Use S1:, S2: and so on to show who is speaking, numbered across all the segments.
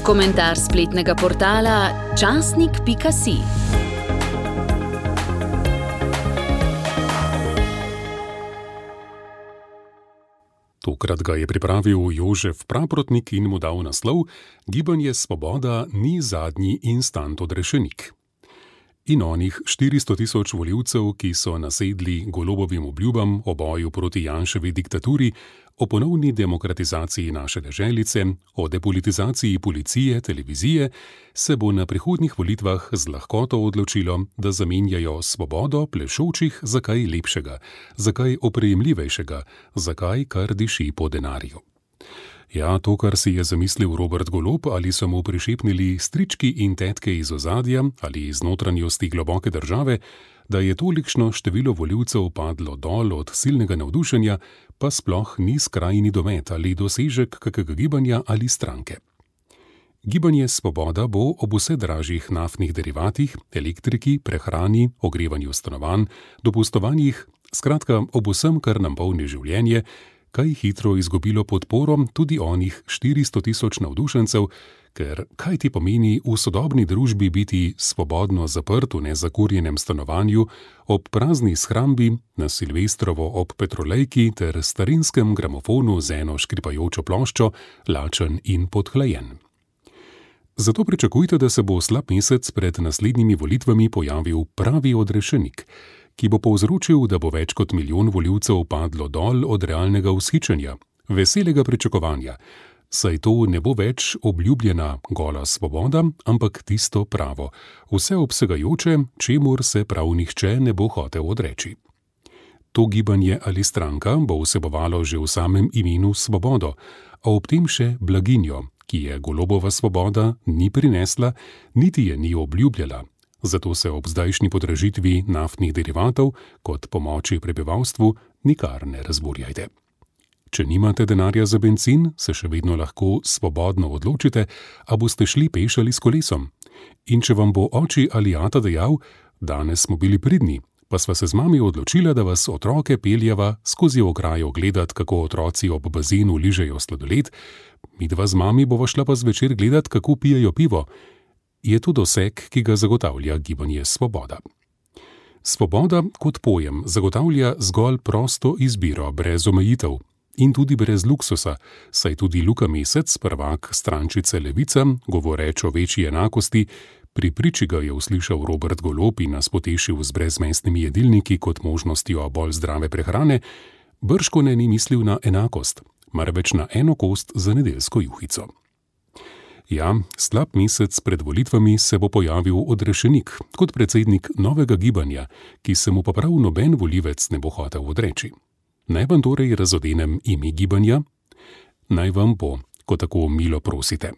S1: Komentar spletnega portala časnik.si.
S2: Tokrat ga je pripravil Jožef Praprotnik in mu dal naslov Gibanje Svoboda ni zadnji instant odrešenik. In onih 400 000 volivcev, ki so nasedli Golobovim obljubam o boju proti Janševi diktaturi, o ponovni demokratizaciji naše deželice, o depolitizaciji policije, televizije, se bo na prihodnjih volitvah z lahkoto odločilo, da zamenjajo svobodo plešočih za kaj lepšega, za kaj oprijemljivejšega, za kaj, kar diši po denarju. Ja, to, kar si je zamislil Robert Golob, ali so mu prišepnili strički in tetke iz ozadja ali iz notranjosti globoke države, da je tolikšno število volivcev padlo dol od silnega navdušenja, pa sploh ni skrajni domet ali dosežek kakega gibanja ali stranke. Gibanje Svoboda bo ob vse dražjih naftnih derivatih, elektriki, prehrani, ogrevanju stanovanj, dopustovanjih, skratka ob vsem, kar nam polni življenje, kaj hitro izgubilo podporo tudi onih 400 000 navdušencev, ker kaj ti pomeni v sodobni družbi biti svobodno zaprt v nezakurjenem stanovanju, ob prazni shrambi, na Silvestrovo ob petrolejki ter starinskem gramofonu z eno škripajočo ploščo, lačen in podhlajen. Zato pričakujte, da se bo slab mesec pred naslednjimi volitvami pojavil pravi odrešenik, ki bo povzročil, da bo več kot milijon volivcev padlo dol od realnega vzhičenja, veselega pričakovanja, saj to ne bo več obljubljena gola svoboda, ampak tisto pravo, vseobsegajoče, čemur se prav nihče ne bo hotel odreči. To gibanje ali stranka bo vsebovalo že v samem imenu svobodo, a ob tem še blaginjo, ki je Golobova svoboda ni prinesla, niti je ni obljubljala. Zato se ob zdajšnji podražitvi naftnih derivatov kot pomoči prebivalstvu nikar ne razburjajte. Če nimate denarja za bencin, se še vedno lahko svobodno odločite, a boste šli peš ali s kolesom. In če vam bo oči ali ata dejal, danes smo bili pridni, pa sva se z mami odločila, da vas otroke peljeva skozi ograjo gledat, kako otroci ob bazenu ližejo sladoled, midva z mami bova šla pa zvečer gledat, kako pijejo pivo, je to doseg, ki ga zagotavlja Gibanje Svoboda. Svoboda kot pojem zagotavlja zgolj prosto izbiro brez omejitev in tudi brez luksusa, saj tudi Luka Mesec, prvak strančice Levica, govoreč o večji enakosti, pri priči ga je uslišal Robert Golob in nas potešil z brezmestnimi jedilniki kot možnostjo bolj zdrave prehrane, bržkone ni mislil na enakost, marveč na eno kost za nedeljsko juhico. Ja, slab mesec pred volitvami se bo pojavil odrešenik kot predsednik novega gibanja, ki se mu pa prav noben volivec ne bo hotel odreči. Naj vam torej razodenem ime gibanja? Naj vam bo, ko tako milo prosite.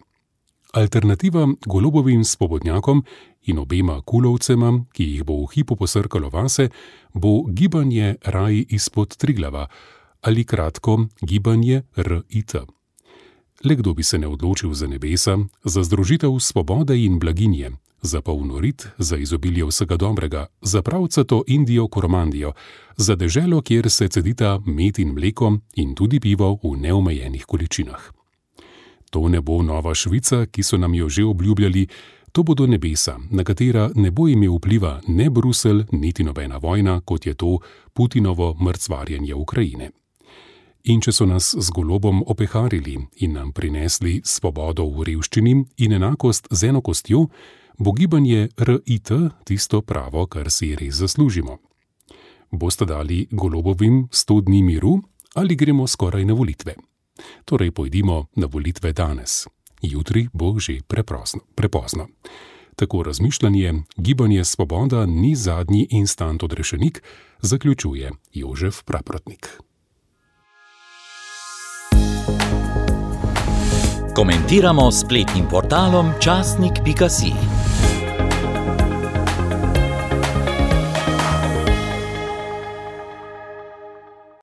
S2: Alternativa Golobovim svobodnjakom in obema kulovcema, ki jih bo v hipu posrkalo vase, bo gibanje Raj izpod Triglava ali kratko gibanje RIT. Le kdo bi se ne odločil za nebesa, za združitev svobode in blaginje, za polnorit, za izobilje vsega dobrega, za pravcato Indijo Koromandijo, za deželo, kjer se cedita med in mleko in tudi pivo v neomejenih količinah. To ne bo nova Švica, ki so nam jo že obljubljali, to bodo nebesa, na katera ne bo imel vpliva ne Bruselj, niti nobena vojna, kot je to Putinovo mrcvarjenje Ukrajine. In če so nas z Golobom opeharili in nam prinesli svobodo v revščini in enakost z eno kostjo, bo gibanje RIT tisto pravo, kar si res zaslužimo. Boste dali Golobovim 100 dni miru ali gremo skoraj na volitve? Torej pojdimo na volitve danes. Jutri bo že prepozno. Tako razmišljanje, Gibanje Svoboda ni zadnji instant odrešenik, zaključuje Jožef Praprotnik.
S3: Komentiramo s spletnim portalom časnik.si.